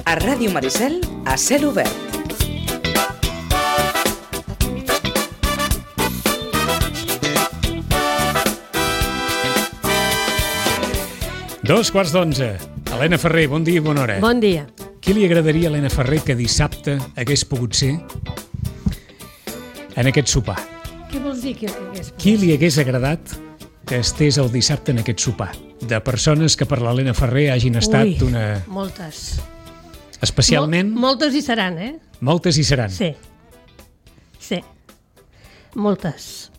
A Ràdio Maricel, a cel obert. Dos quarts d'11. Helena Ferrer, bon dia i bona hora. Bon dia. Qui li agradaria a Helena Ferrer que dissabte hagués pogut ser en aquest sopar? Què vols dir? Qui li hagués agradat que estés el dissabte en aquest sopar? De persones que per l'Helena Ferrer hagin estat una... moltes. Especialment... Moltes hi seran, Moltes hi seran. Sí. Moltes.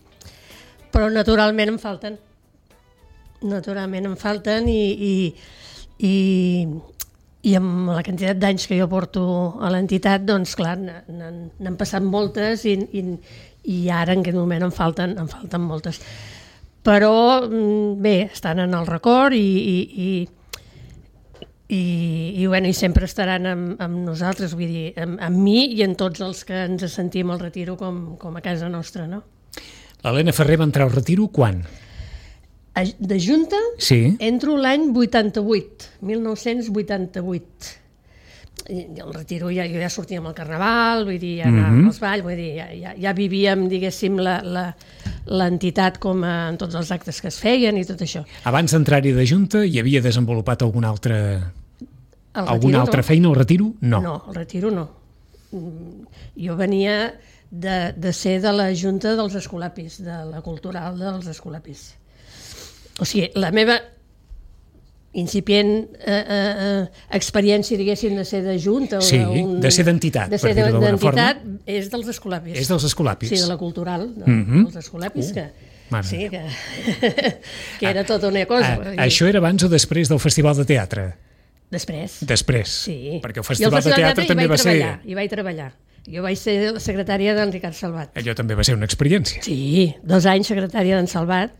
Però naturalment em falten. I amb la quantitat d'anys que jo porto a l'entitat, doncs clar, n'han passat moltes i ara en aquest moment em falten moltes. Però bé, estan en el record i sempre estaran amb nosaltres, vull dir, amb mi i en tots els que ens sentim al retiro com a casa nostra, no? L'Helena Ferrer va entrar al retiro quan? De Junta, sí. Entro l'any 1988. I el retiro jo ja sortia amb el carnaval, vull dir, ja anàvem als balls, vull dir, ja vivíem, diguéssim, l'entitat com en tots els actes que es feien i tot això. Abans d'entrar-hi de Junta hi havia desenvolupat alguna altra feina al retiro? No. No, al retiro no. Jo venia de ser de la Junta dels Escolapis, de la cultural dels Escolapis. O sigui, la meva incipient experiència, diguéssim, de ser de Junta... Sí, de ser d'entitat, per dir-ho d'alguna forma. És dels Escolapis. És dels Escolapis. Sí, de la cultural, dels Escolapis, que era tota una cosa. Això era abans o després del Festival de Teatre? Després. Després, sí. Perquè el Festival de Teatre també va ser... Hi vaig treballar. Jo vaig ser la secretària d'en Ricard Salvat. Allò també va ser una experiència. Sí, 2 anys secretària d'en Salvat,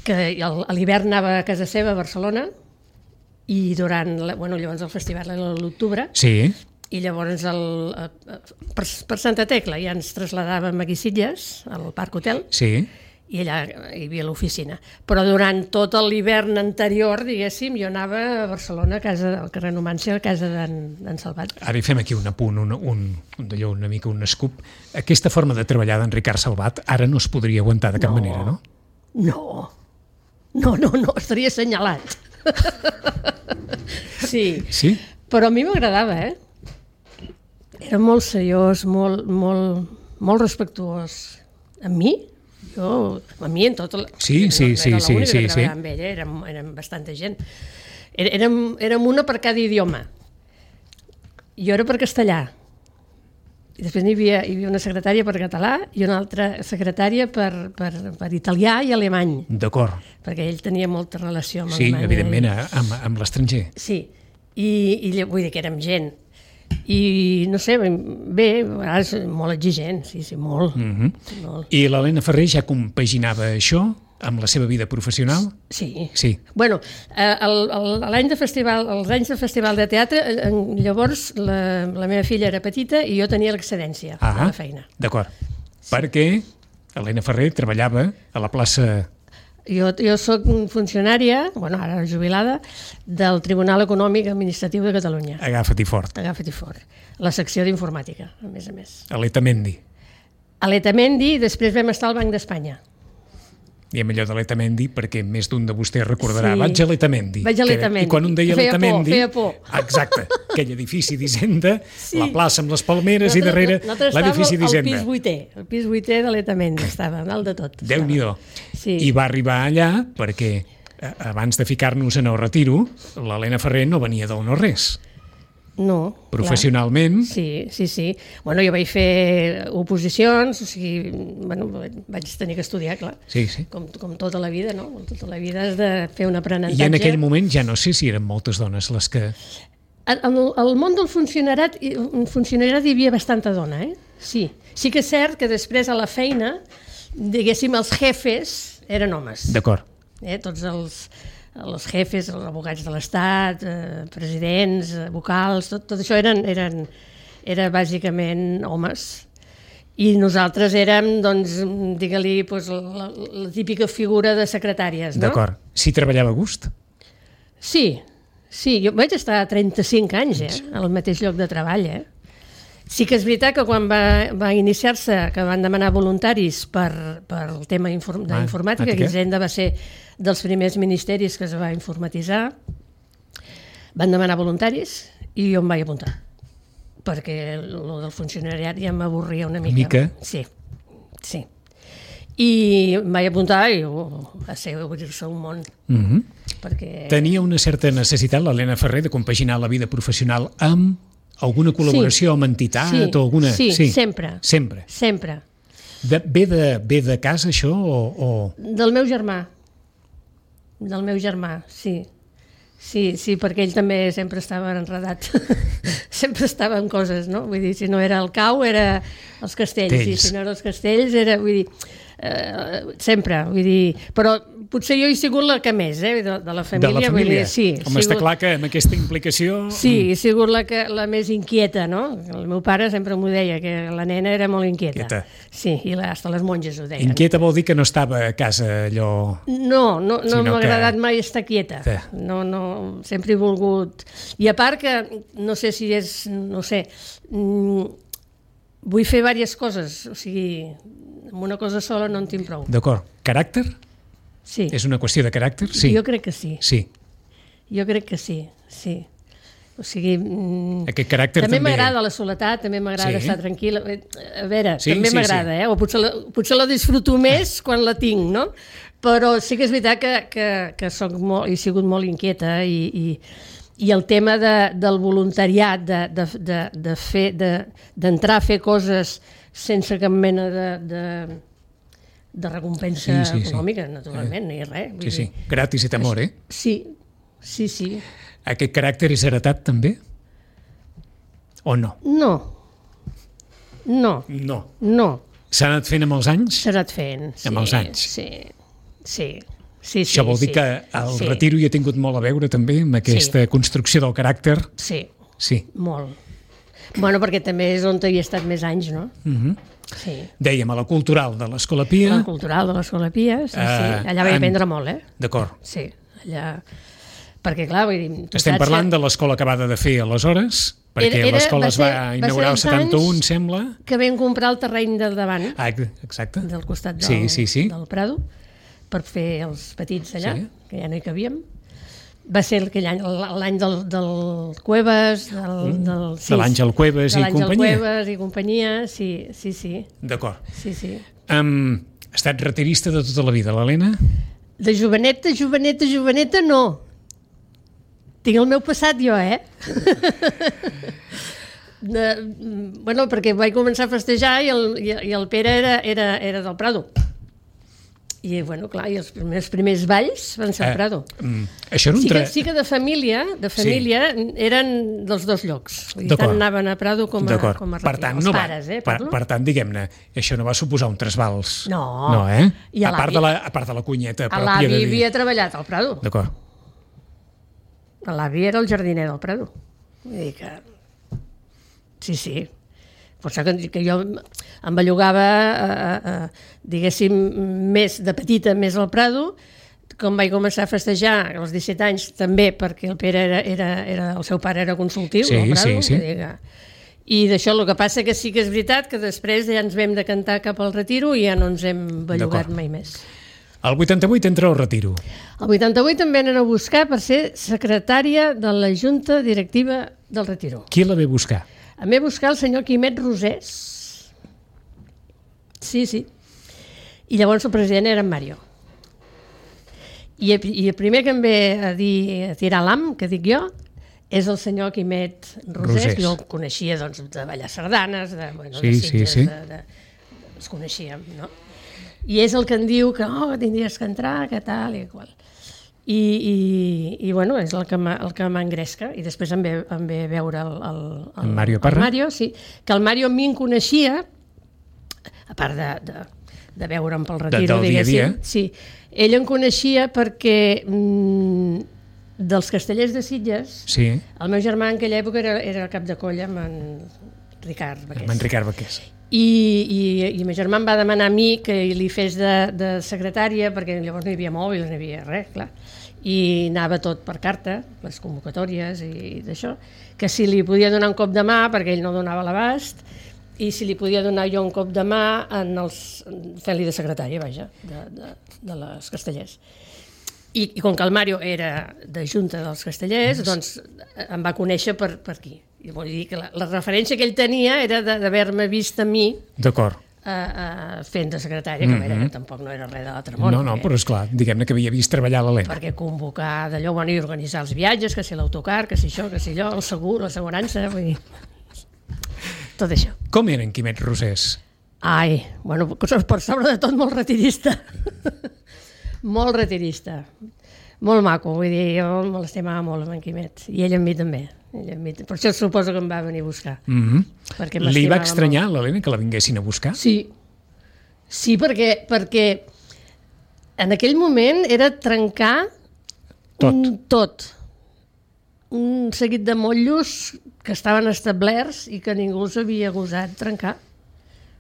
que a l'hivern anava a casa seva a Barcelona i llavors el festival era a l'octubre. Sí. I llavors per Santa Tecla ja ens traslladàvem a Guisilles, al Parc Hotel, sí. I allà hi havia l'oficina. Però durant tot l'hivern anterior, diguéssim, jo anava a Barcelona, al carrer Numància, a casa d'en Salvat. Ara hi fem aquí un apunt, una mica un escup. Aquesta forma de treballar d'en Ricard Salvat ara no es podria aguantar de cap manera, no? No, estaria assenyalat. Sí. Però a mi m'agradava, Era molt seriós, molt respectuós. A mi en tot... Sí. Era l'única que treballava amb ell, érem bastanta gent. Érem una per cada idioma. Jo era per castellà. I després hi havia una secretària per català i una altra secretària per italià i alemany. D'acord. Perquè ell tenia molta relació amb Alemanya. Sí, evidentment, amb l'estranger. Sí, i vull dir que érem gent. I no sé, bé, és molt exigent, sí, molt. Molt. I l'Helena Ferrer ja compaginava això amb la seva vida professional? Sí. Bueno, els anys de festival de teatre, llavors la meva filla era petita i jo tenia l'excedència de la feina. D'acord. Perquè Helena Ferrer treballava a la plaça... Jo soc funcionària, ara jubilada, del Tribunal Econòmic Administratiu de Catalunya. Agafa't-hi fort. La secció d'informàtica, a més. A l'Etamendi. A l'Etamendi, i després vam estar al Banc d'Espanya. Diem allò de l'Etamendi perquè més d'un de vostès recordarà. Vaig a l'Etamendi. I quan un deia l'Etamendi... Feia por. Exacte. Aquell edifici d'Hisenda, la plaça amb les palmeres i darrere l'edifici d'Hisenda. El pis 8è de l'Etamendi estava, dalt de tot. Déu-n'hi-do. I va arribar allà perquè abans de ficar-nos en el retiro, l'Helena Ferrer no venia del no-res. No. Professionalment. Sí. Bueno, jo vaig fer oposicions, o sigui, vaig tenir que estudiar, clar. Sí. Com tota la vida, no? Tota la vida has de fer un aprenentatge. I en aquell moment ja no sé si eren moltes dones les que... Al món del funcionariat hi havia bastanta dona, Sí. Sí que és cert que després a la feina, diguéssim, els jefes eren homes. D'acord. Tots els jefes, els advocats de l'Estat, presidents, vocals, tot això era bàsicament homes. I nosaltres érem, doncs, digue-li, la típica figura de secretàries, no? D'acord. Si treballava a gust? Sí, Sí, jo vaig estar 35 anys, al mateix lloc de treball, Sí que és veritat que quan va iniciar-se, que van demanar voluntaris per el tema d'informàtica, que Hisenda va ser dels primers ministeris que es va informatitzar, van demanar voluntaris i jo em vaig apuntar, perquè el del funcionariat ja m'avorria una mica. Sí. I em vaig apuntar i va ser obrir-se un món. Perquè... Tenia una certa necessitat, l'Helena Ferrer, de compaginar la vida professional amb alguna col·laboració amb entitat o alguna... Sí, sempre. Ve de casa, això, o...? Del meu germà. Sí. Sí, perquè ell també sempre estava enredat. Sempre estava en coses, no? Vull dir, si no era el cau, era els castells. I si no era els castells, era... Vull dir, sempre, vull dir... Però potser jo he sigut la que més, de la família. De la família? Sí. Home, està clar que amb aquesta implicació... Sí, he sigut la més inquieta, no? El meu pare sempre m'ho deia, que la nena era molt inquieta. Sí, i hasta les monges ho deien. Inquieta vol dir que no estava a casa allò... No m'ha agradat mai estar quieta. No, sempre he volgut... I a part que, no sé si és... No sé... Vull fer diverses coses, o sigui, amb una cosa sola no en tinc prou. D'acord. Caràcter? Sí. És una qüestió de caràcter? Sí. Jo crec que sí. Sí. Jo crec que sí. O sigui... Aquest caràcter també... També m'agrada la soledat, també m'agrada estar tranquil·la. A veure, també m'agrada, o potser la disfruto més quan la tinc, no? Però sí que és veritat que he sigut molt inquieta i el tema del voluntariat, d'entrar a fer coses sense cap mena de recompensa econòmica, naturalment, ni res. Sí, gratis et amor, Sí. Aquest caràcter és heretat també? O no? No. S'ha anat fent amb els anys? S'ha anat fent, sí. Amb els anys? Sí. Això vol dir que el retiro hi ha tingut molt a veure també amb aquesta construcció del caràcter? Sí, molt. Bueno, perquè també és on hi he estat més anys, no? Sí. Dèiem, a la Cultural de l'Escola Pia. La Cultural de l'Escola Pia, sí. Allà vaig aprendre molt, D'acord. Sí, allà... Perquè, clar, vull dir... Estem parlant de l'escola acabada de fer aleshores, perquè l'escola es va inaugurar el 71, sembla. Que vam comprar el terreny del davant. Exacte. Del costat del Prado, per fer els petits allà, que ja no hi cabíem. Va ser l'any del Cuevas, de l'Àngel Cuevas i companyia. De l'Àngel Cuevas i companyia, sí. D'acord. Sí. Ha estat retirista de tota la vida, l'Helena? De joveneta, no. Tinc el meu passat jo, Bueno, perquè vaig començar a festejar i el Pere era del Prado. I, bueno, clar, i els primers balls van ser al Prado. Això era sí que de família eren dels dos llocs. Tant anaven a Prado com a Retiro. Els pares, parlo. Per tant, diguem-ne, això no va suposar un trasbals. No. A part de la cunyeta pròpia. L'avi havia treballat al Prado. D'acord. L'avi era el jardiner del Prado. Vull dir que... Sí. Per això que jo em bellugava, diguéssim, més de petita, més al Prado. Com vaig començar a festejar als 17 anys, també perquè el Pere el seu pare era consultiu al Prado. Sí. I d'això el que passa que sí que és veritat que després ja ens vam decantar cap al Retiro i ja no ens hem bellugat mai més. El 88 entra al Retiro. El 88 em venen a buscar per ser secretària de la Junta Directiva del Retiro. Qui la ve a buscar? Em ve a buscar el senyor Quimet Rosés. Sí. I llavors el president era en Mario. I el primer que em ve a tirar l'am, que dic jo, és el senyor Quimet Rosés. Jo el coneixia de ballar sardanes, de Sitges, els coneixíem, no? I és el que em diu que tindries que entrar, que tal i qual. I bueno, és el que m'engresca. I després em ve veure el Mario Parra. El Mario, sí. Que el Mario a mi em coneixia, a part de veure'm pel Retiro, diguéssim. Sí. Ell em coneixia perquè dels Castellers de Sitges, el meu germà en aquella època era cap de colla amb en Ricard Baqués. Amb en Ricard Baqués. I ma germà em va demanar a mi que li fes de secretària, perquè llavors no hi havia mòbil, no hi havia res, clar, i anava tot per carta, les convocatòries i d'això, que si li podia donar un cop de mà, perquè ell no donava l'abast, i si li podia donar jo un cop de mà fent-li de secretària, vaja, de les Castellers. I com que el Mario era de Junta dels Castellers, doncs em va conèixer per aquí. I vull dir que la referència que ell tenia era d'haver-me vist a mi fent de secretària, que tampoc no era res de l'altre món. No, però esclar, diguem-ne que havia vist treballar l'Helena. Perquè convocar d'allò, i organitzar els viatges, que si l'autocar, que si això, que si allò, el segur, l'assegurança, vull dir... Tot això. Com era en Quimet Rosés? Ai, bueno, per sobre de tot molt retirista. Molt retirista. Molt maco, vull dir, jo me l'estimava molt amb en Quimet, i ell amb mi també. Per això suposo que em va venir a buscar. Li va estranyar l'Helena que la vinguessin a buscar? Sí, perquè en aquell moment era trencar tot. Un seguit de motllos que estaven establerts i que ningú s'havia gosat trencar.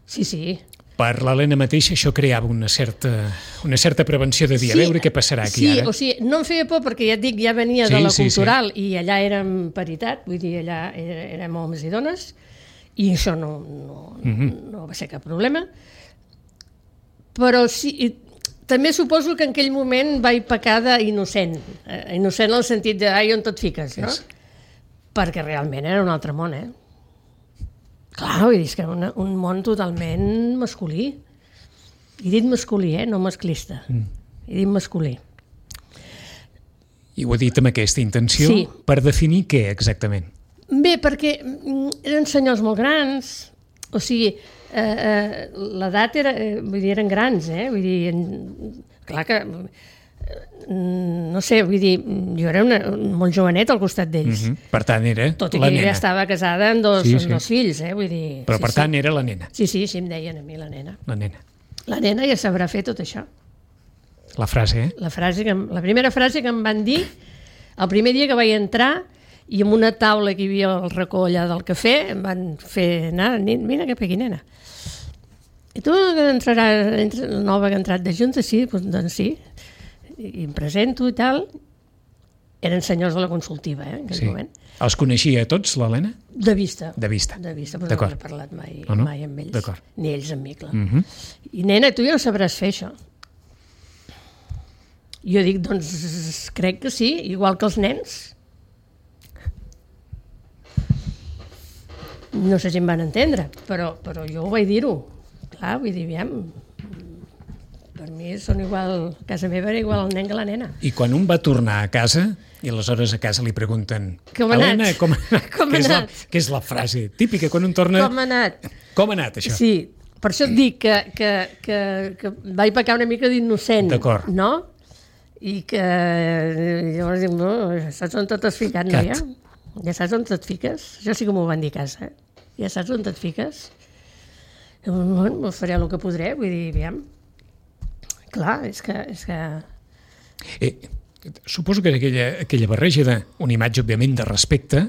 Sí. Per l'Helena mateixa això creava una certa prevenció de dir, a veure què passarà aquí ara. Sí, o sigui, no em feia por perquè ja et dic, ja venia de la cultural i allà érem paritat, vull dir, allà érem homes i dones i això no va ser cap problema. Però sí, també suposo que en aquell moment vaig pecar d'innocent, innocent en el sentit de, ai, on tot fiques, no? Perquè realment era un altre món, Clar, vull dir, és que era un món totalment masculí. He dit masculí, no masclista. He dit masculí. I ho he dit amb aquesta intenció? Sí. Per definir què exactament? Bé, perquè eren senyors molt grans, o sigui, l'edat vull dir, eren grans, vull dir, clar que... No sé, vull dir, jo era molt jovenet al costat d'ells. Per tant, era la nena. Tot i que ella estava casada amb dos fills, vull dir... Però per tant era la nena. Sí, em deien a mi la nena. La nena. La nena ja sabrà fer tot això. La frase, La primera frase que em van dir, el primer dia que vaig entrar, i amb una taula que hi havia al racó allà del cafè, em van fer anar, vine cap aquí, nena. I tu que entraràs, nova que ha entrat de Junta, sí? Doncs sí. I em presento i tal. Eren senyors de la consultiva, en aquell moment. Els coneixia a tots, l'Helena? De vista. Però no he parlat mai amb ells. Ni ells amb mi, clar. I nena, tu ja ho sabràs fer, això. Jo dic, doncs, crec que sí, igual que els nens. No sé si em van entendre, però jo ho vaig dir-ho. Clar, vull dir, aviam... Per mi són igual, a casa meva era igual el nen que la nena. I quan un va tornar a casa, i aleshores a casa li pregunten Helena, com ha anat? Que és la frase típica, quan un torna... Com ha anat? Com ha anat, això? Sí, per això et dic que vaig pecar una mica d'innocent, no? I que llavors dic, no, ja saps on t'has ficat, noia? Ja saps on et fiques? Això sí que m'ho van dir a casa. Ja saps on et fiques? Bueno, faré el que podré, vull dir, aviam. Clar, és que... Suposo que aquella barreja d'una imatge, òbviament, de respecte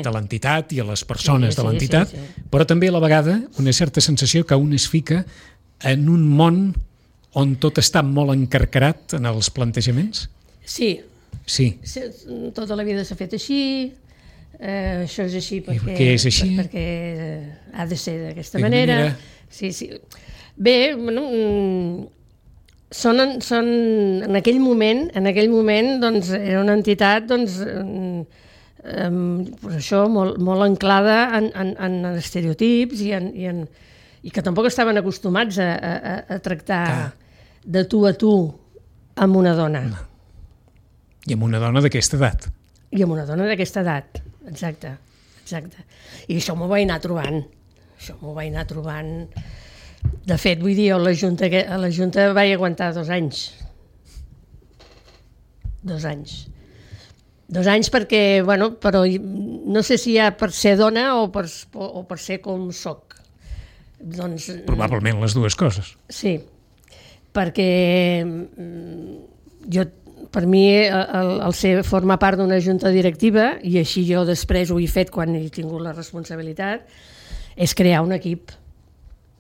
a l'entitat i a les persones de l'entitat, però també a la vegada una certa sensació que un es fica en un món on tot està molt encarcarat en els plantejaments? Sí. Tota la vida s'ha fet així, això és així perquè... Què és així? Perquè ha de ser d'aquesta manera. Sí. Bé, bueno... Són en aquell moment doncs, era una entitat doncs, això, molt anclada en estereotips i que tampoc estaven acostumats a tractar de tu a tu amb una dona. I amb una dona d'aquesta edat. I amb una dona d'aquesta edat, exacte. I això m'ho vaig anar trobant. De fet, vull dir, a la Junta vaig aguantar 2 anys. 2 anys. 2 anys perquè, bueno, però no sé si ja per ser dona o per ser com soc. Doncs, probablement les dues coses. Sí, perquè per mi el formar part d'una junta directiva, i així jo després ho he fet quan he tingut la responsabilitat, és crear un equip.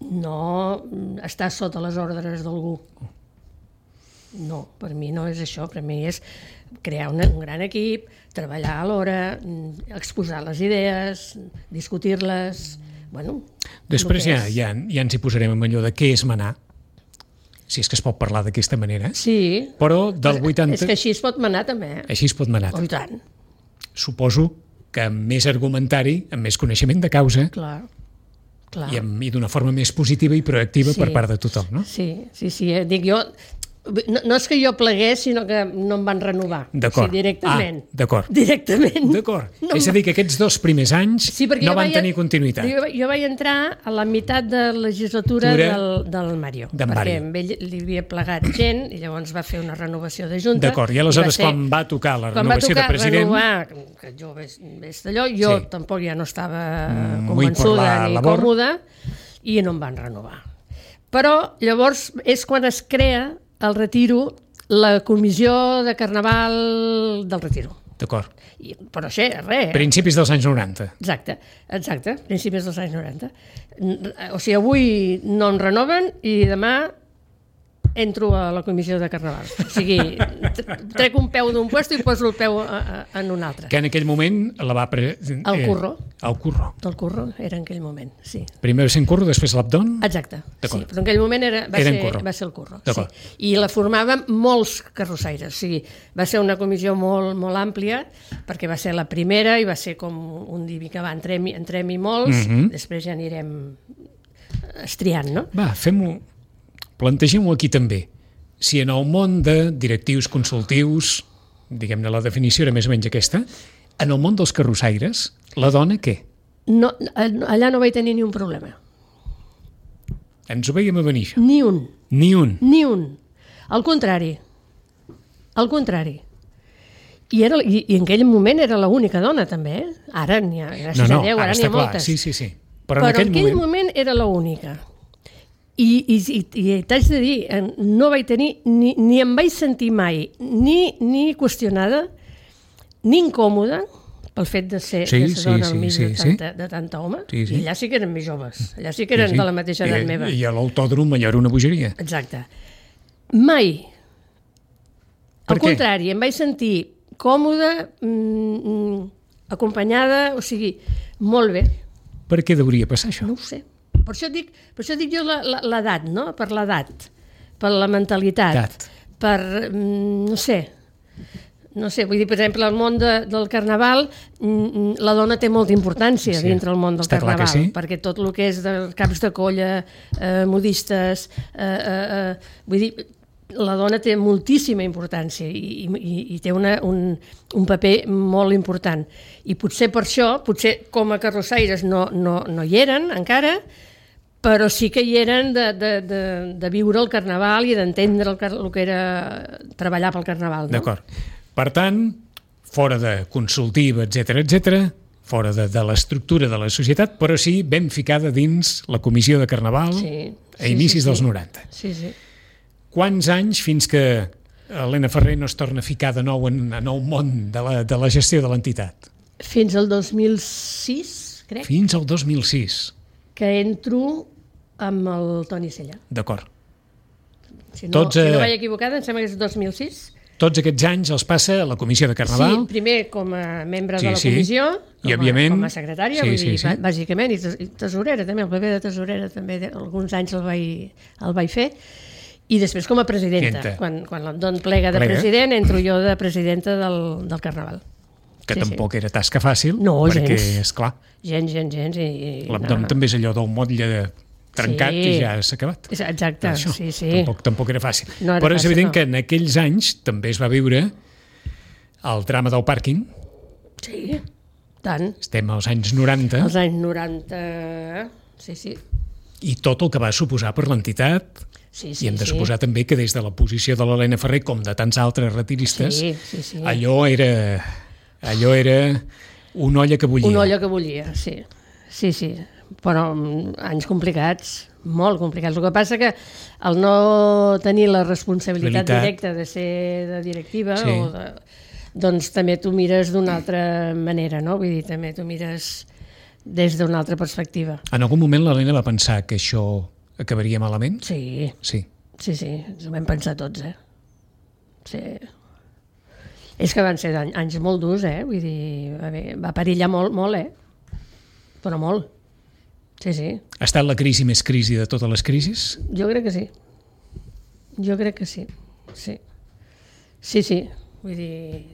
no estar sota les ordres d'algú. No, per mi no és això, per mi és crear un gran equip, treballar a l'hora, exposar les idees, discutir-les, bueno... Després ja ens hi posarem en allò de què és manar, si és que es pot parlar d'aquesta manera. Sí, però del 80... és que així es pot manar també. Així es pot manar. Oh, i tant. Suposo que amb més argumentari, amb més coneixement de causa, clar. I d'una forma més positiva i proactiva per part de tothom, no? Sí, dic jo... No és que jo plegués, sinó que no em van renovar. D'acord. Sí, directament. D'acord. Directament. D'acord. No, és a dir, que aquests 2 primers anys no van tenir continuïtat. Jo vaig entrar a la meitat de legislatura del Mario. Perquè amb ell li havia plegat gent i llavors va fer una renovació de junta. D'acord. I aleshores quan va tocar la renovació de president... que jo ves d'allò, jo tampoc ja no estava convençuda ni còmoda i no em van renovar. Però llavors és quan es crea el Retiro, la comissió de Carnaval del Retiro. D'acord. Però això, res. Principis dels anys 90. Exacte, principis dels anys 90. O sigui, avui no em renoven i demà entro a la comissió de Carnaval. O sigui, trec un peu d'un puesto i poso el peu en un altre. Que en aquell moment la va... El curro. El curro. El curro era en aquell moment, sí. Primer va ser en curro, després l'Abdon? Exacte, sí, però en aquell moment va ser el curro. Sí. I la formaven molts carrossaires, o sigui, va ser una comissió molt, molt àmplia, perquè va ser la primera i va ser com un divi que va, entrem-hi molts, després ja anirem estriant, no? Va, fem-ho... Plantegem-ho aquí també. Si en el món de directius consultius, diguem-ne la definició era més o menys aquesta, en el món dels carrossaires, la dona què? No, allà no vaig tenir ni un problema. Ens ho veiem a venir, això? Ni un. Ni un? Ni un. Al contrari. Al contrari. I en aquell moment era l'única dona, també. Ara n'hi ha, gràcies a Déu, ara n'hi ha moltes. Sí. Però en aquell moment era l'única. I t'haig de dir, no vaig tenir, ni em vaig sentir mai ni qüestionada, ni incòmoda, pel fet de ser dona al mig de tanta home. I allà sí que eren més joves, allà sí que eren de la mateixa edat meva. I a l'autòdrom allà era una bogeria. Exacte. Mai. Al contrari, em vaig sentir còmoda, acompanyada, o sigui, molt bé. Per què hauria passar això? No ho sé. Per això dic jo l'edat, no? Per l'edat, per la mentalitat, per, no sé, vull dir, per exemple, el món del Carnaval, la dona té molta importància dintre el món del Carnaval, perquè tot el que és de caps de colla, modistes, vull dir, la dona té moltíssima importància i té un paper molt important. I potser per això, potser com a carrossaires no hi eren encara, però sí que hi eren de viure el Carnaval i d'entendre el que era treballar pel Carnaval. No? D'acord. Per tant, fora de consultiva, etc, fora de l'estructura de la societat, però sí ben ficada dins la comissió de Carnaval a inicis dels 90. Sí. Quants anys fins que Helena Ferrer no es torna a ficar de nou en el món de la gestió de l'entitat? Fins al 2006, crec. Fins al 2006. Que entro amb el Toni Sella. D'acord. Si no vaig equivocada, em sembla que és 2006. Tots aquests anys els passa a la comissió de Carnaval? Sí, primer com a membre de la comissió, i òbviament com a secretària, vull dir, bàsicament, i tesorera també, el paper de tesorera també, alguns anys el vaig fer, i després com a presidenta. Quan l'Abdon plega de president, entro jo de presidenta del Carnaval. Que tampoc era tasca fàcil, perquè, esclar, gens. l'Abdon també és allò del motlle trencat i ja s'ha acabat. Exacte, sí. Tampoc era fàcil. Però és evident que en aquells anys també es va viure el drama del pàrquing. Sí, tant. Estem als anys 90. Els anys 90, sí. I tot el que va suposar per l'entitat. I hem de suposar també que des de la posició de l'Helena Ferrer, com de tants altres retiristes, allò era una olla que bullia. Una olla que bullia, sí. Però anys complicats, molt complicats. El que passa que al no tenir la responsabilitat directa de ser de directiva, doncs també t'ho mires d'una altra manera, no? Vull dir, també t'ho mires des d'una altra perspectiva. En algun moment l'Helena va pensar que això acabaria malament? Sí, Sí. ens ho vam pensar tots, Sí. És que van ser anys molt durs, vull dir, va perillar molt, però molt. Sí. Ha estat la crisi més crisi de totes les crisis? Jo crec que sí. Sí. Vull dir,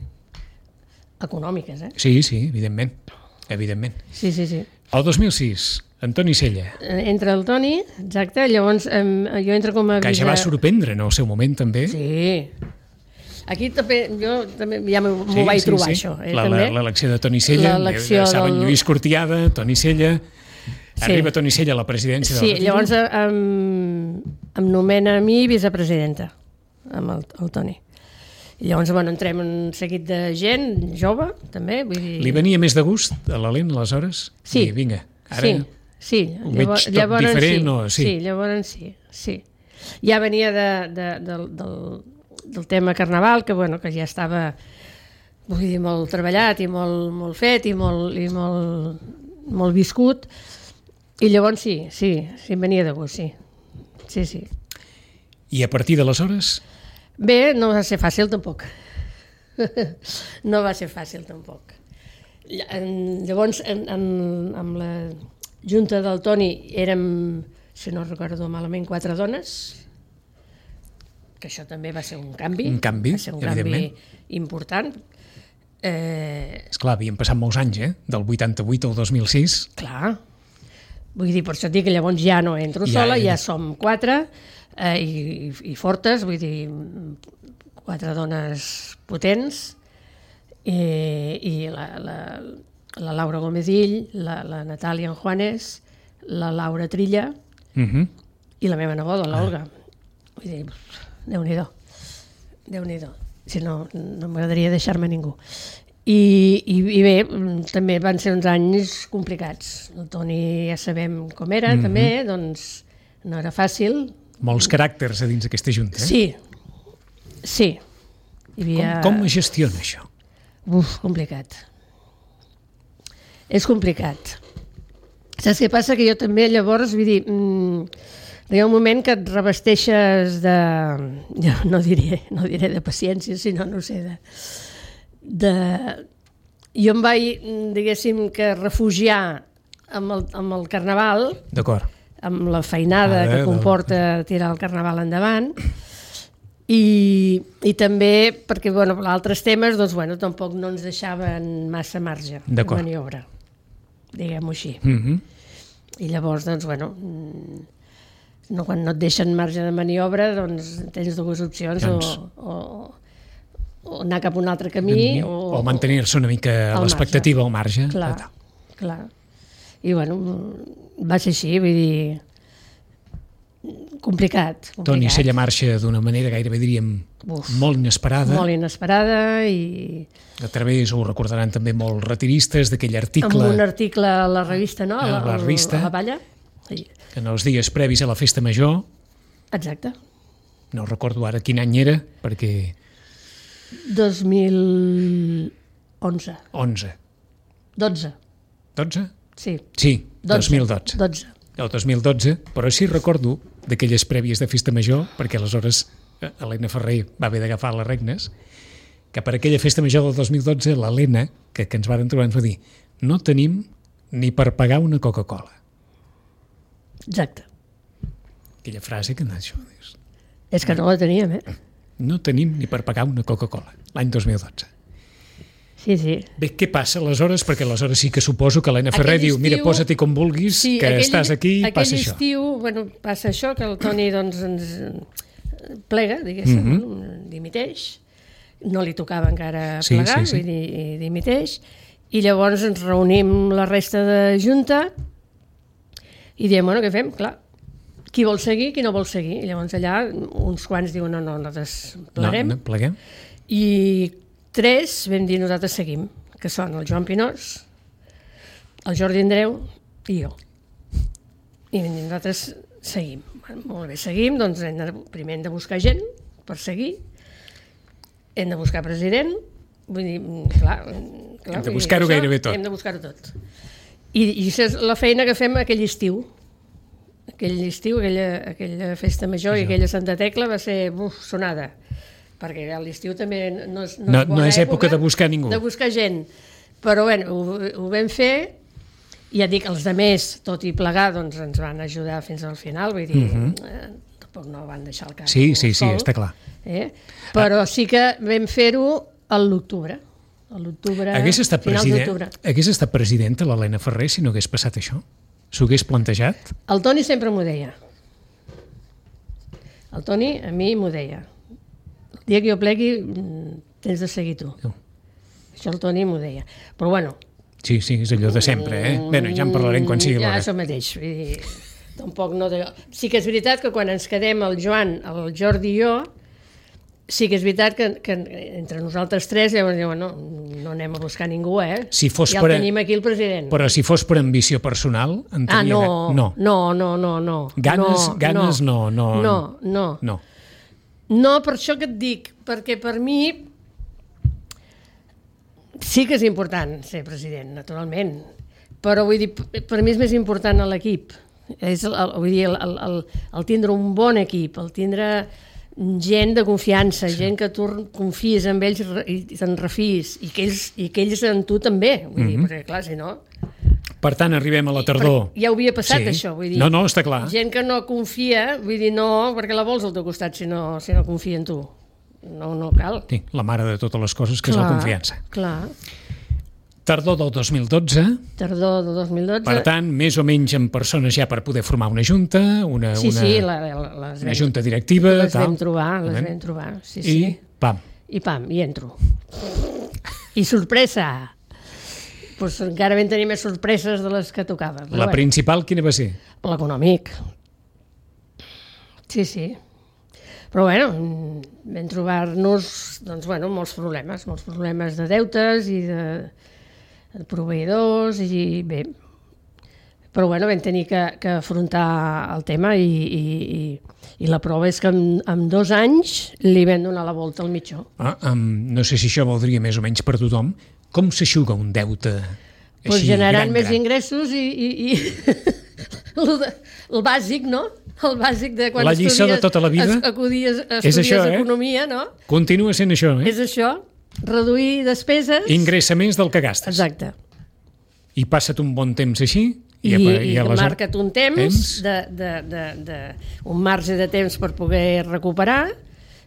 econòmiques, Sí, evidentment. Sí. El 2006, Antoni Sella. Entra el Toni, exacte, llavors jo entro com a... Que ja va sorprendre en el seu moment, també. Sí. Aquí jo també ja m'ho vaig trobar, això. L'elecció de Toni Sella, saben Lluís Cortiada, Toni Sella... Arriba Toni Sella a la presidència de la Catalunya. Sí, llavors em nomena a mi vicepresidenta, amb el Toni. I llavors, entrem un seguit de gent jove, també. Vull dir... Li venia més de gust a l'Helena, aleshores? Sí. I vinga, ara sí. Ho veig tot diferent? Sí, llavors sí. Ja venia del tema carnaval, que ja estava, vull dir, molt treballat i molt fet i molt viscut. I llavors sí, em venia de gust, sí. I a partir d'aleshores? Bé, no va ser fàcil tampoc. No va ser fàcil tampoc. Llavors, amb la junta del Toni érem, si no recordo malament, 4 dones, que això també va ser un canvi. Va ser un canvi important. Esclar, havien passat molts anys, del 88 al 2006. Clar. Vull dir, per això dic que llavors ja no entro sola, ja som 4 i fortes, vull dir, 4 dones potents, i la Laura Gomesill, la Natàlia Juanes, la Laura Trilla i la meva neboda, l'Olga. Vull dir, Déu-n'hi-do. Si no m'agradaria deixar-me ningú. I bé, també van ser uns anys complicats. El Toni ja sabem com era, també, doncs no era fàcil. Molts caràcters a dins d'aquesta junta, Sí. Hi havia... Com es gestiona això? Complicat. És complicat. Saps què passa? Que jo també llavors, vull dir, hi ha un moment que et revesteixes de... No diré de paciència, sinó, no sé, jo em vaig, diguéssim, que refugiar amb el carnaval, d'acord, amb la feinada que comporta tirar el carnaval endavant, i també perquè, altres temes, doncs, tampoc no ens deixaven massa marge de maniobra, diguem-ho així. I llavors, doncs, quan no et deixen marge de maniobra, doncs tens dues opcions, o anar cap a un altre camí, o mantenir-se una mica a l'expectativa, al marge. Clar. I va ser així, vull dir, complicat. Toni Sella marxa d'una manera gairebé, diríem, molt inesperada. Molt inesperada i... A través, ho recordaran també molts retiristes, d'aquell article... Amb un article a la revista, no? A la revista. A la Palla. Que en els dies previs a la festa major... Exacte. No recordo ara quin any era, perquè... 2011. 12. Sí. Sí, 2012. El 2012, però sí recordo d'aquelles prèvies de festa major, perquè aleshores Helena Ferrer va haver d'agafar les regnes, que per aquella festa major del 2012 l'Helena, que ens varen trobar, ens va dir: no tenim ni per pagar una Coca-Cola. Exacte. Aquella frase que això dius. És que no la teníem, No tenim ni per pagar una Coca-Cola, l'any 2012. Sí. Bé, què passa aleshores? Perquè aleshores sí que suposo que Helena Ferrer diu: mira, posa-t'hi com vulguis, que estàs aquí, passa això. Aquell estiu, passa això, que el Toni doncs, ens plega, diguéssim, dimiteix. No li tocava encara plegar, vull dir, dimiteix. I llavors ens reunim la resta de junta i diem, què fem? Clar, qui vol seguir, qui no vol seguir. I llavors allà uns quants diuen, no, nosaltres pleguem. No, pleguem. I 3 vam dir, nosaltres seguim, que són el Joan Pinós, el Jordi Andreu i jo. I vam dir, nosaltres seguim. Molt bé, seguim, doncs primer hem de buscar gent per seguir, hem de buscar president, vull dir, clar hem de buscar-ho gairebé tot. Hem de buscar-ho tot. I això és la feina que fem aquell estiu. Aquella festa major i aquella Santa Tecla va ser sonada, perquè a l'estiu també no és època de buscar ningú. De buscar gent. Però bé, ho vam fer, i ja dic, els altres, tot i plegar, doncs ens van ajudar fins al final, vull dir, tampoc no van deixar el cap. Sí, està clar. Però sí que vam fer-ho a l'octubre. Hagués estat presidenta l'Helena Ferrer si no hagués passat això? S'ho hagués plantejat? El Toni sempre m'ho deia. El Toni a mi m'ho deia. El dia que jo plegui tens de seguir tu. Això el Toni m'ho deia. Però bueno... Sí, és allò de sempre, Bé, ja en parlarem quan sigui l'hora. Ja, això mateix. Vull dir, tampoc no... Sí que és veritat que quan ens quedem el Joan, el Jordi i jo, sí que és veritat que entre nosaltres tres llavors diuen, no anem a buscar ningú, Si fos ja el tenim aquí el president. Però si fos per ambició personal, entenia... No. Ganes no. No, per això que et dic, perquè per mi sí que és important ser president, naturalment, però vull dir, per mi és més important l'equip. Vull dir, el tindre un bon equip, el tindre gent de confiança, gent que tu confies en ells i te'n refies, i que ells en tu també, vull dir, perquè clar, si no... Per tant, arribem a la tardor. Ja ho havia passat, això, vull dir... No, està clar. Gent que no confia, vull dir, no, perquè la vols al teu costat si no confia en tu. No cal. Sí, la mare de totes les coses, que és la confiança. Clar. Tardor del 2012. Tardor del 2012. Per tant, més o menys amb persones ja per poder formar una junta, una junta directiva. Les vam trobar, sí. I pam. I entro. I sorpresa! Pues encara vam tenir més sorpreses de les que tocava. La principal quina va ser? L'econòmic. Sí. Però bueno, vam trobar-nos molts problemes de deutes i de proveïdors i bé, però bueno, vam tenir que afrontar el tema i la prova és que en 2 anys li vam donar la volta al mitjó. No sé si això valdria més o menys per tothom. Com s'aixuga un deute així generant més ingressos i el bàsic, no? El bàsic de quan la lliçó de tota la vida estudies economia, no? Continua sent això, És això, reduir despeses... Ingressa més del que gastes. Exacte. I passa't un bon temps així... I marca't un temps, un marge de temps per poder recuperar,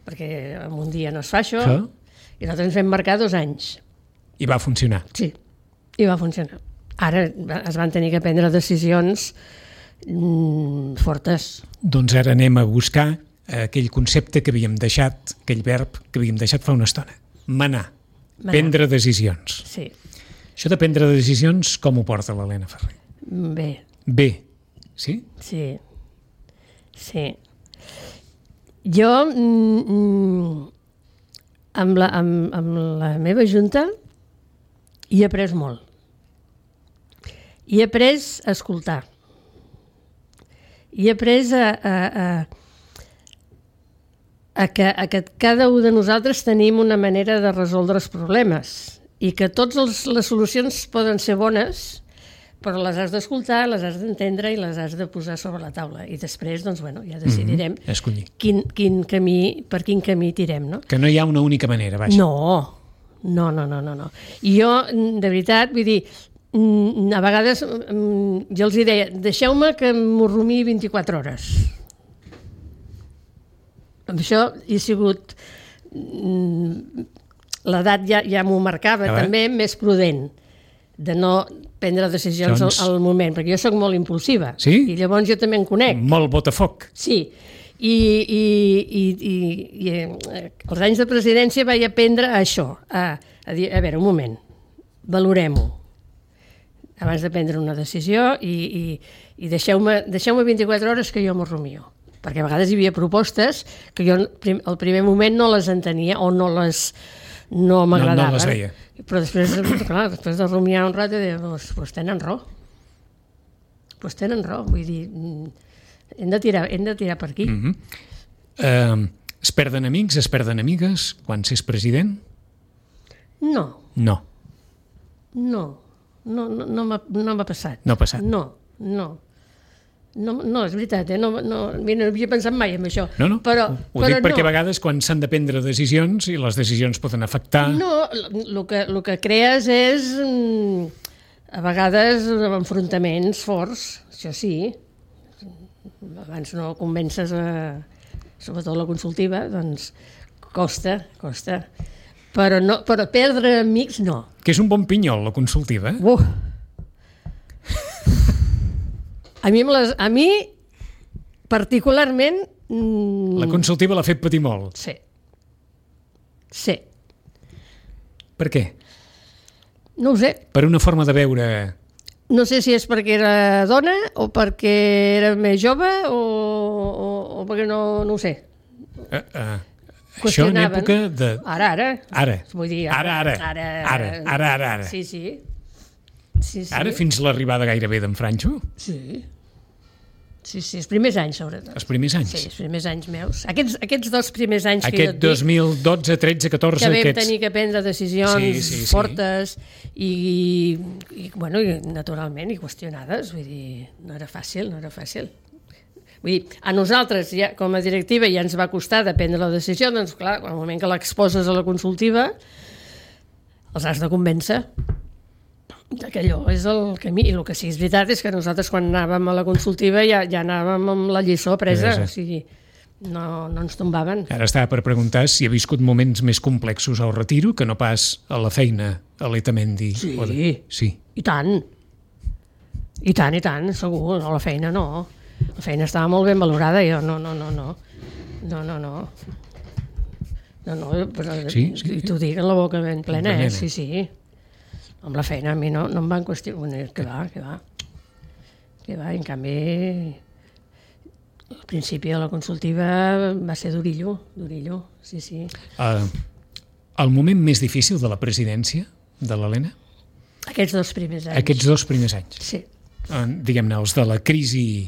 perquè en un dia no es fa això, i nosaltres ens vam marcar 2 anys. I va funcionar. Sí, i va funcionar. Ara es van tenir que prendre decisions fortes. Doncs ara anem a buscar aquell concepte que havíem deixat, aquell verb que havíem deixat fa una estona. Manar. Prendre decisions. Sí. Això de prendre decisions, com ho porta l'Helena Ferrer? Bé. Sí? Sí. Jo, amb la meva junta, hi he après molt. Hi he après a escoltar. Hi he après a que cada un de nosaltres tenim una manera de resoldre els problemes i que totes les solucions poden ser bones, però les has d'escoltar, les has d'entendre i les has de posar sobre la taula. I després, doncs, ja decidirem per quin camí tirem, no? Que no hi ha una única manera, vaja. No. I jo, de veritat, vull dir, a vegades jo els deia, deixeu-me que m'ho rumii 24 hores. Amb això he sigut... L'edat ja m'ho marcava, també més prudent, de no prendre decisions al moment, perquè jo sóc molt impulsiva. Sí? I llavors jo també en conec. Molt botafoc. Sí. I els anys de presidència vaig aprendre això, a dir, a veure, un moment, valorem-ho abans de prendre una decisió i deixeu-me 24 hores que jo m'ho rumio. Perquè a vegades hi havia propostes que jo al primer moment no les entenia o no m'agradava. No les veia. Però després, clar, després de rumiar un rato, doncs tenen raó. Vull dir, hem de tirar per aquí. Es perden amics, es perden amigues quan s'és president? No. no m'ha passat. No ha passat. No, és veritat, no havia pensat mai en això. No, però dic perquè a vegades quan s'han de prendre decisions i les decisions poden afectar... No, el que crees és a vegades enfrontaments forts, això sí. Abans no convences, sobretot la consultiva, doncs costa. Però perdre amics no. Que és un bon pinyol, la consultiva. A mi, particularment... La consultiva l'ha fet patir molt. Sí. Per què? No ho sé. Per una forma de veure... No sé si és perquè era dona o perquè era més jove o perquè no ho sé. Això en època de... Ara. Vull dir, Ara. Sí. Ara fins l'arribada gairebé d'en Franxo? Sí, els primers anys, sobretot. Els primers anys? Sí, els primers anys meus. Aquests 2 primers anys que jo et dic... 2012, 13, 14... Que vam tenir que prendre decisions fortes i naturalment, i qüestionades. Vull dir, no era fàcil. Vull dir, a nosaltres, ja, com a directiva, ja ens va costar de prendre la decisió, doncs clar, al moment que l'exposes a la consultiva, els has de convèncer que allò és el camí. I el que sí és veritat és que nosaltres quan anàvem a la consultiva ja anàvem amb la lliçó presa, o sigui, no ens tombaven. Ara estava per preguntar si ha viscut moments més complexos al retiro que no pas a la feina a l'Etamendi. Sí, i tant, segur, a la feina no. La feina estava molt ben valorada, jo no. Però t'ho dic en la boca ben plena, sí. Amb la feina a mi no em van qüestionar, que va. En canvi, al principi de la consultiva va ser durillo, sí. El moment més difícil de la presidència de l'Helena? Aquests 2 primers anys. Aquests 2 primers anys? Sí. Diguem-ne, els de la crisi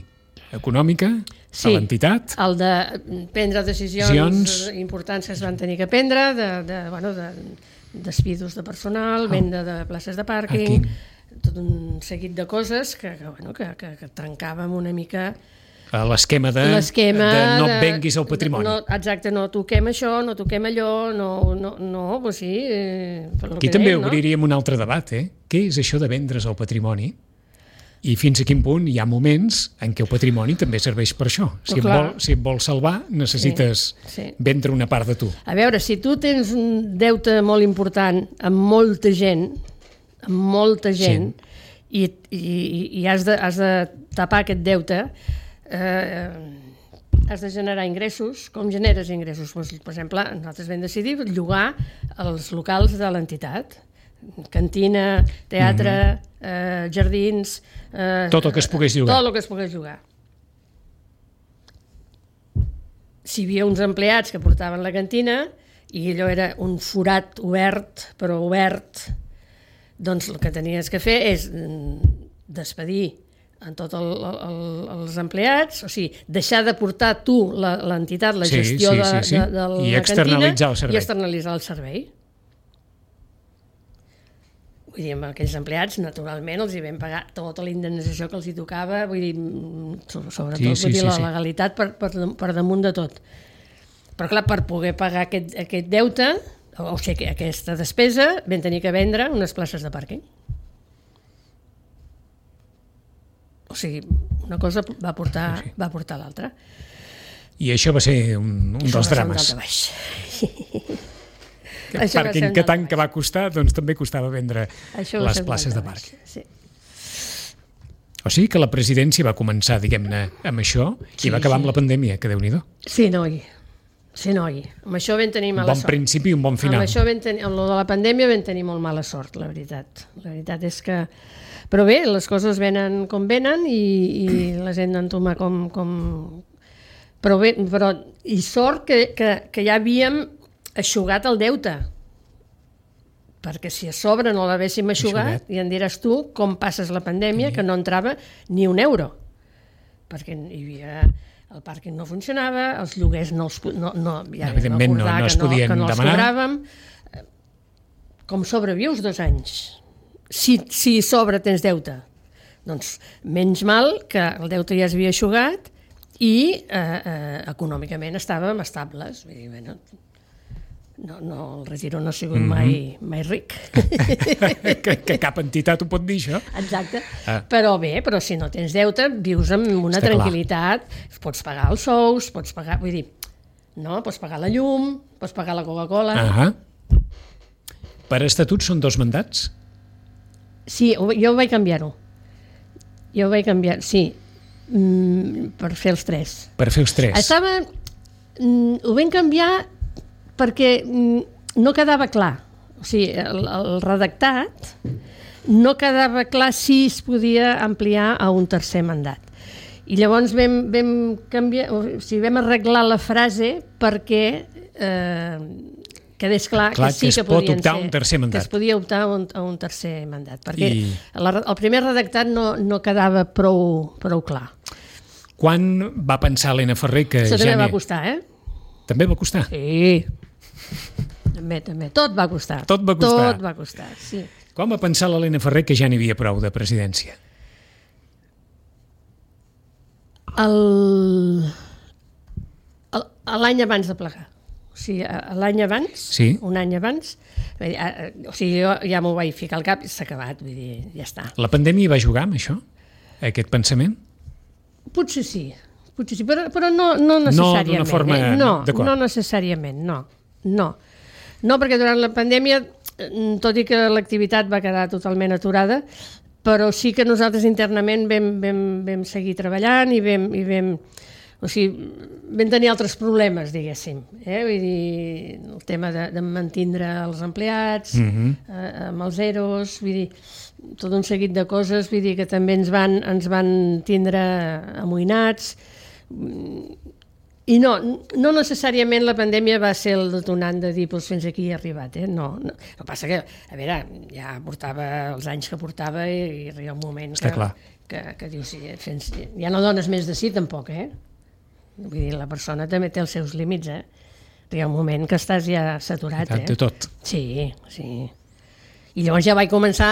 econòmica, a l'entitat? El de prendre decisions importants que es van tenir que prendre, despidos de personal, venda de places de pàrquing, tot un seguit de coses que trencàvem una mica l'esquema de no et venguis el patrimoni. Exacte, no toquem això, no toquem allò, doncs sí. Aquí també obriríem un altre debat, Què és això de vendre's el patrimoni? I fins a quin punt hi ha moments en què el patrimoni també serveix per això. Si et vols salvar, necessites vendre una part de tu. A veure, si tu tens un deute molt important amb molta gent, i has de tapar aquest deute, has de generar ingressos. Com generes ingressos? Per exemple, nosaltres vam decidir llogar els locals de l'entitat. Cantina, teatre, jardins... Tot el que es pogués llogar. Tot el que es pogués llogar. Si hi havia uns empleats que portaven la cantina i allò era un forat obert, però obert, doncs el que tenies que fer és despedir en tots els empleats, o sigui, deixar de portar tu l'entitat, la gestió de la cantina i externalitzar el servei. Vull dir, amb aquells empleats, naturalment, els hi vam pagar tota la indemnització que els hi tocava, vull dir, sobretot la legalitat per damunt de tot. Però clar, per poder pagar aquest deute, o sigui, aquesta despesa, vam tenir que vendre unes places de pàrquing. O sigui, una cosa va portar l'altra. I això va ser un dels drames. Aquest pàrquing que tant que va costar, doncs també costava vendre les places de pàrquing. Sí. O sigui que la presidència va començar, diguem-ne, amb això i va acabar amb la pandèmia, que Déu-n'hi-do. Sí, noi. Amb això vam tenir mala sort. Un bon principi i un bon final. Amb lo de la pandèmia vam tenir molt mala sort, la veritat. La veritat és que... Però bé, les coses venen com venen i les hem d'entomar com... Però bé, i sort que ja havíem eixugat el deute, perquè si a sobre no l'haguéssim eixugat, i em diràs tu com passes la pandèmia, que no entrava ni un euro, perquè hi havia... El pàrquing no funcionava, els lloguers evidentment no es podien demanar. Cobràvem. Com sobrevius 2 anys si sobre tens deute. Doncs menys mal que el deute ja s'havia eixugat i econòmicament estàvem estables. Vull dir, bueno, el Retiro no ha sigut mai ric. que cap entitat ho pot dir, això. Exacte. Però si no tens deute, vius amb una tranquil·litat, pots pagar els sous, pots pagar, vull dir, no? Pots pagar la llum, pots pagar la Coca-Cola. Per estatut són 2 mandats? Sí, jo vaig canviar-ho. Sí, per fer els 3. Per fer els 3. Ho vam canviar perquè no quedava clar. O sigui, el redactat no quedava clar si es podia ampliar a un 3è mandat. I llavors vam canviar, o sigui, vam arreglar la frase perquè quedés clar que sí que podien ser, que es podia optar a un 3è mandat, perquè el primer redactat no quedava prou clar. Quan va pensar Elena Ferrer que això també va costar, També va costar? Sí, també. Tot va costar. Tot va costar, sí. Quan va pensar l'Elena Ferrer que ja n'hi havia prou de presidència? L'any abans de plegar. O sigui, l'any abans, sí. Un any abans, o sigui, jo ja m'ho vaig ficar al cap i s'ha acabat, vull dir, ja està. La pandèmia va jugar amb això? Aquest pensament? Potser sí, però no necessàriament. No d'una forma... No necessàriament, no. No, perquè durant la pandèmia, tot i que l'activitat va quedar totalment aturada, però sí que nosaltres internament vam seguir treballant i vam tenir altres problemes, diguéssim. Vull dir, el tema de mantindre els empleats, amb els EROs, vull dir, tot un seguit de coses, vull dir, que també ens van tindre amoïnats. I no necessàriament la pandèmia va ser el detonant de dir fins aquí he arribat, No. El que passa que, a veure, ja portava els anys que portava i arriba un moment que dius, ja no dones més de sí tampoc, Vull dir, la persona també té els seus límits, Arriba un moment que estàs ja saturat, De tot. Sí. I llavors ja vaig començar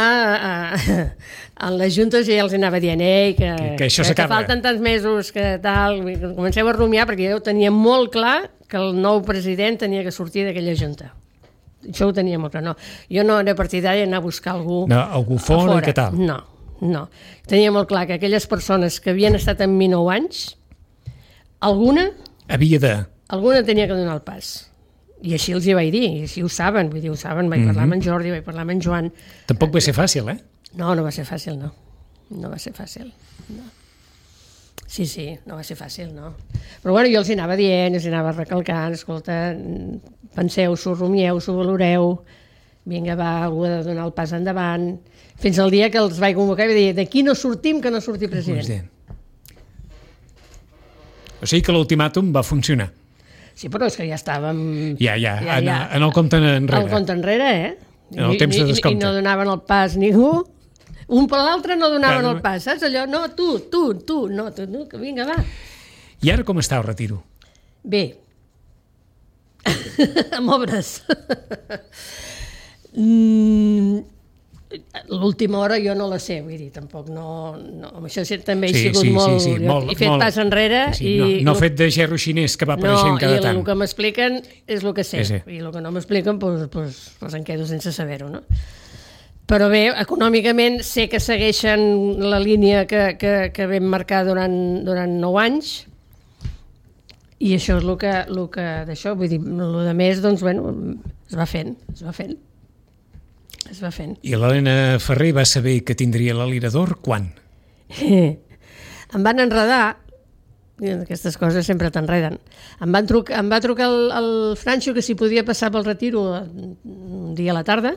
en les juntes i ja els anava dient que falten tants mesos, que tal, comenceu a rumiar, perquè jo tenia molt clar que el nou president tenia que sortir d'aquella junta. Això ho tenia molt clar, no. Jo no era partidària d'anar a buscar algú fora, què tal? No. Tenia molt clar que aquelles persones que havien estat amb mi 9 anys, alguna tenia que donar el pas. I així els hi vaig dir, i així ho saben, vaig parlar amb en Jordi, vaig parlar amb en Joan. Tampoc va ser fàcil, No va ser fàcil, no. No va ser fàcil, no. Sí, no va ser fàcil, no. Però bueno, jo els hi anava dient, els hi anava recalcant, escolta, penseu-s'ho, rumieu-s'ho, valoreu, vinga, va, algú ha de donar el pas endavant, fins al dia que els vaig convocar i vaig dir, d'aquí no sortim que no surti president. O sigui que l'ultimàtum va funcionar. Sí, però és que ja estàvem... En el compte enrere. El compte enrere, En el temps de descompte. I no donaven el pas ningú. Un per l'altre no donaven el pas, saps allò? No, tu, que vinga, va. I ara com està el Retiro? Bé. Amb obres. L'última hora jo no la sé, vull dir, tampoc no... Això també he sigut molt... He fet pas enrere i... No fet de gerro xinès que va apareixent cada tant. I el que m'expliquen és el que sé. I el que no m'expliquen, doncs em quedo sense saber-ho, no? Però bé, econòmicament sé que segueixen la línia que vam marcar durant 9 anys i això és el que d'això, vull dir, el de més, doncs, bueno, es va fent. I l'Elena Ferrer va saber que tindria l'alirador quan? Em van enredar, aquestes coses sempre t'enreden, em va trucar el Franxo que si podia passar pel Retiro un dia a la tarda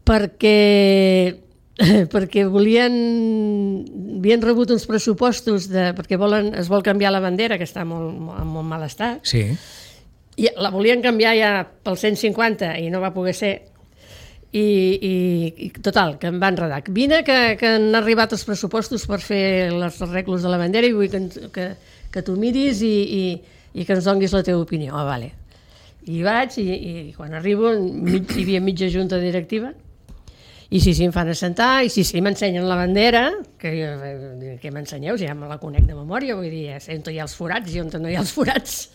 perquè havien rebut uns pressupostos perquè es vol canviar la bandera, que està en molt mal estat, i la volien canviar ja pel 150 i no va poder ser. I total, que em van enredar. Vine que han arribat els pressupostos per fer els arreglos de la bandera i vull que tu miris i que ens donguis la teva opinió. Vale. I vaig i quan arribo hi havia mitja junta directiva I sí, em fan assentar, i sí, m'ensenyen la bandera, que què m'ensenyeu, si ja me la conec de memòria, vull dir, ja sé on hi ha els forats i on no hi ha els forats.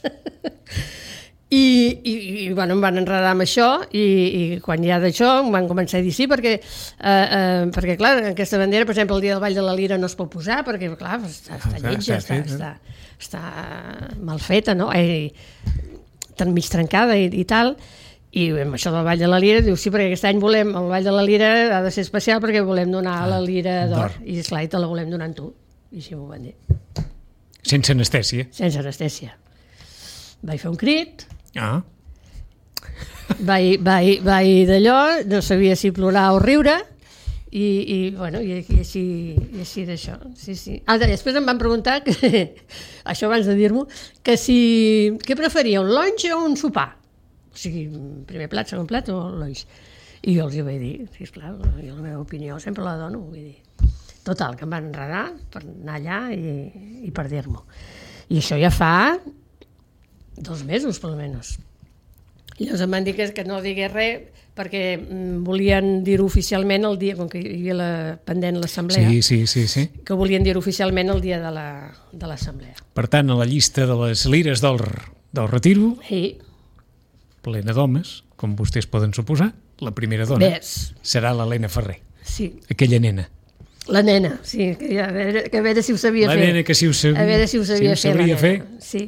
I bueno, em van enredar amb això, i quan ja d'això em van començar a dir sí, perquè clar, aquesta bandera, per exemple, el dia del Ball de la Lira no es pot posar, perquè clar, està lletja, està mal feta, no? Mig trencada i tal, i amb això del Ball de la Lira diu sí, perquè aquest any volem, el Ball de la Lira ha de ser especial perquè volem donar la Lira d'or, i esclar, te la volem donar amb tu, i així m'ho van dir. Sense anestèsia? Sense anestèsia. Vaig fer un crit, vaig d'allò, no sabia si plorar o riure, i així d'això. Sí. Després em van preguntar, això abans de dir-m'ho, que què preferia, un lunch o un sopar? O sigui, primer plat, segon plat o lunch? I jo els hi vaig dir, sisplau, jo la meva opinió sempre la dono, vull dir. Total, que em van enredar per anar allà i per dir-m'ho. I això ja fa 2 mesos, per almenys. I llavors em van dir que no digués res perquè volien dir-ho oficialment el dia, com que hi havia pendent l'assemblea, que volien dir-ho oficialment el dia de l'assemblea. Per tant, a la llista de les lires del retiro, plena d'homes, com vostès poden suposar, la primera dona serà l'Helena Ferrer. Sí. Aquella nena. La nena, sí, que a veure si ho sabia fer. La nena que si ho sabria fer,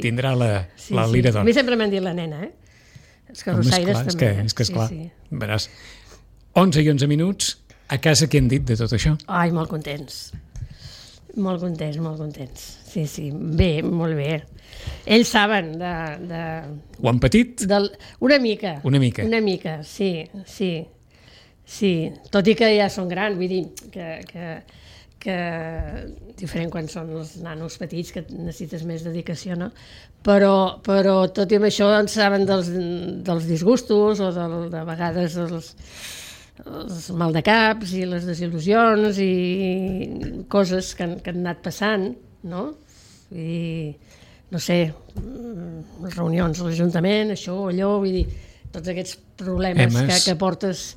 tindrà la lira d'or. A mi sempre m'han dit la nena, Els carrossaires també. És que esclar, veràs. 11 i 11 minuts, a casa què han dit de tot això? Ai, molt contents. Molt contents. Sí, bé, molt bé. Ells saben de... Ho han patit? Una mica. Una mica, sí. Tot i que ja són grans, vull dir que diferent quan són els nanos petits, que necessites més dedicació, no? Però tot i amb això en saben dels disgustos o de vegades els maldecaps i les desil·lusions i coses que han anat passant, no? I no sé, reunions a l'Ajuntament, això o allò, vull dir, tots aquests problemes que portes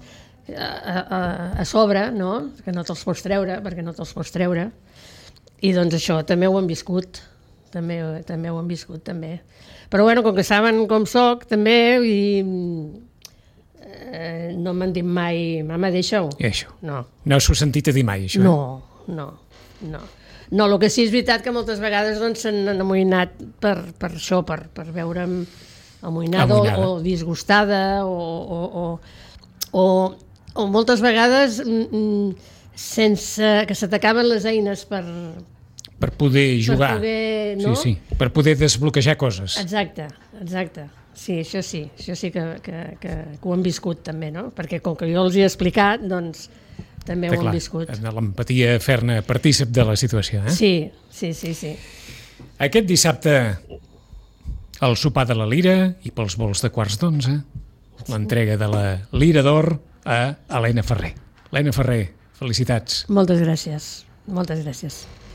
a sobre, no? Que no te'ls pots treure, perquè no te'ls pots treure, i doncs això també ho han viscut, també ho han viscut, també. Però bueno, com que saben com soc, també, i no m'han dit mai, mama, deixa-ho. I això? No. No us heu sentit a dir mai, això? No, el que sí és veritat que moltes vegades s'han amoïnat per això, per veure'm amoïnada o disgustada o moltes vegades sense que se t'acaben les eines per poder jugar, no? Per poder desbloquejar coses. Exacte. Sí, això sí que ho han viscut també, no? Perquè com que jo els hi he explicat, doncs també ho han viscut. L'empatia fer-ne partícip de la situació, Sí. Aquest dissabte el sopar de la Lira i pels vols de quarts d'11, l'entrega de la Lira d'Or a Helena Ferrer. Helena Ferrer, felicitats. Moltes gràcies.